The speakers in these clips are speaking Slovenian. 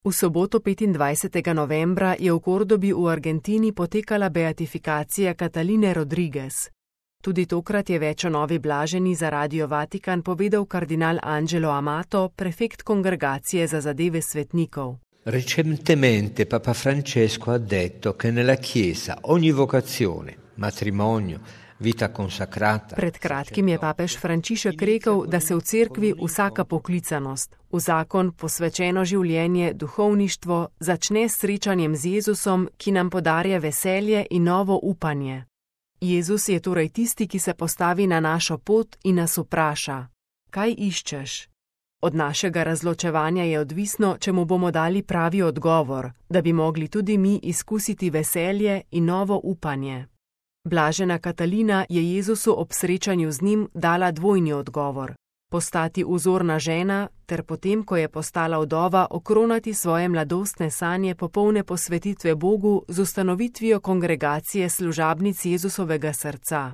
V soboto 25. novembra je v Kordobi v Argentini potekala beatifikacija Kataline Rodriguez. Tudi tokrat je več o novi blaženi za Radio Vatikan povedal kardinal Angelo Amato, prefekt Kongregacije za zadeve svetnikov. Recentemente Papa Francesco ha detto che nella Chiesa ogni vocazione, matrimonio, vita consacrata. Pred kratkim je papež Frančišek rekel, da se v cerkvi vsaka poklicanost, v zakon posvečeno življenje, duhovništvo začne s srečanjem z Jezusom, ki nam podarja veselje in novo upanje. Jezus je torej tisti, ki se postavi na našo pot in nas vpraša: kaj iščeš? Od našega razločevanja je odvisno, če mu bomo dali pravi odgovor, da bi mogli tudi mi izkusiti veselje in novo upanje. Blažena Katalina je Jezusu ob srečanju z njim dala dvojni odgovor: postati vzorna žena ter potem, ko je postala vdova, okronati svoje mladostne sanje popolne posvetitve Bogu z ustanovitvijo kongregacije služabnic Jezusovega srca.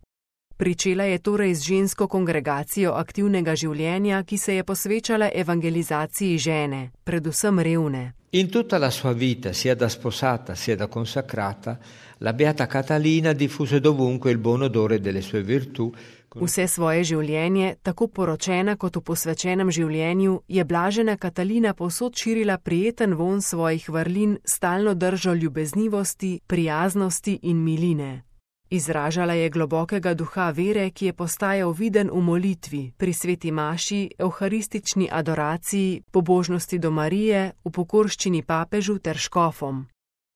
Pričela je torej z žensko kongregacijo aktivnega življenja, ki se je posvečala evangelizaciji žene, predvsem revne. In tutta la sua vita, sia da sposata sia da consacrata, la beata Catalina diffuse dovunque il buon odore delle sue virtù. Vse svoje življenje, tako poročena kot v posvečenem življenju, je blažena Katalina povsod širila prijeten vonj svojih vrlin, stalno držo ljubeznivosti, prijaznosti in miline. Izražala je globokega duha vere, ki je postajal viden v molitvi, pri sveti maši, evharistični adoraciji, pobožnosti do Marije, v pokorščini papežu ter škofom.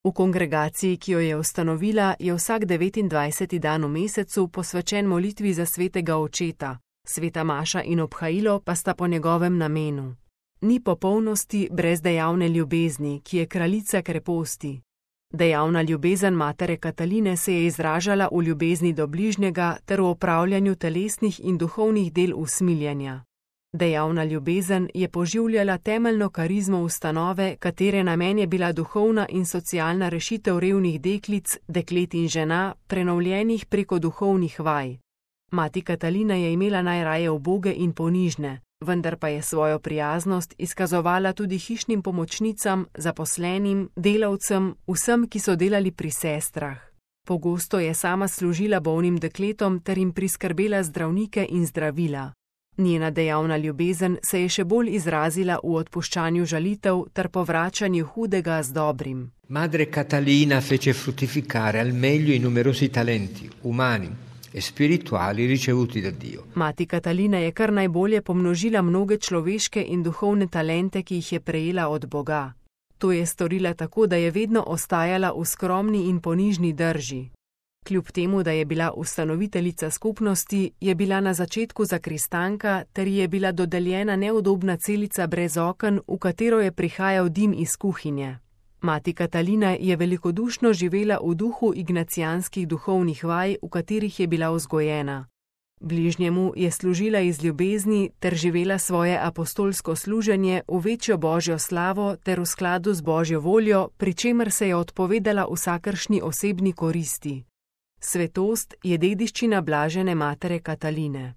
V kongregaciji, ki jo je ustanovila, je vsak 29. dan v mesecu posvečen molitvi za svetega očeta, sveta maša in obhajilo pa sta po njegovem namenu. Ni popolnosti brez dejavne ljubezni, ki je kraljica kreposti. Dejavna ljubezen matere Kataline se je izražala v ljubezni do bližnjega ter v opravljanju telesnih in duhovnih del usmiljenja. Dejavna ljubezen je poživljala temeljno karizmo ustanove, katere namen je bila duhovna in socialna rešitev revnih deklic, deklet in žena, prenovljenih preko duhovnih vaj. Mati Katalina je imela najraje uboge in ponižne, vendar pa je svojo prijaznost izkazovala tudi hišnim pomočnicam, zaposlenim, delavcem, vsem, ki so delali pri sestrah. Pogosto je sama služila bolnim dekletom ter jim priskrbela zdravnike in zdravila. Njena dejavna ljubezen se je še bolj izrazila v odpuščanju žalitev ter povračanju hudega z dobrim. Madre Catalina fece fruttificare al meglio i numerosi talenti umani e spirituali ricevuti da Dio. Mati Katalina je kar najbolje pomnožila mnoge človeške in duhovne talente, ki jih je prejela od Boga. To je storila tako, da je vedno ostajala v skromni in ponižni drži. Kljub temu, da je bila ustanoviteljica skupnosti, je bila na začetku zakristanka ter ji je bila dodeljena neudobna celica brez oken, v katero je prihajal dim iz kuhinje. Mati Katalina je velikodušno živela v duhu ignacijanskih duhovnih vaj, v katerih je bila vzgojena. Bližnjemu je služila iz ljubezni ter živela svoje apostolsko služenje v večjo božjo slavo ter v skladu z božjo voljo, pri čemer se je odpovedala vsakršni osebni koristi. Svetost je dediščina blažene matere Kataline.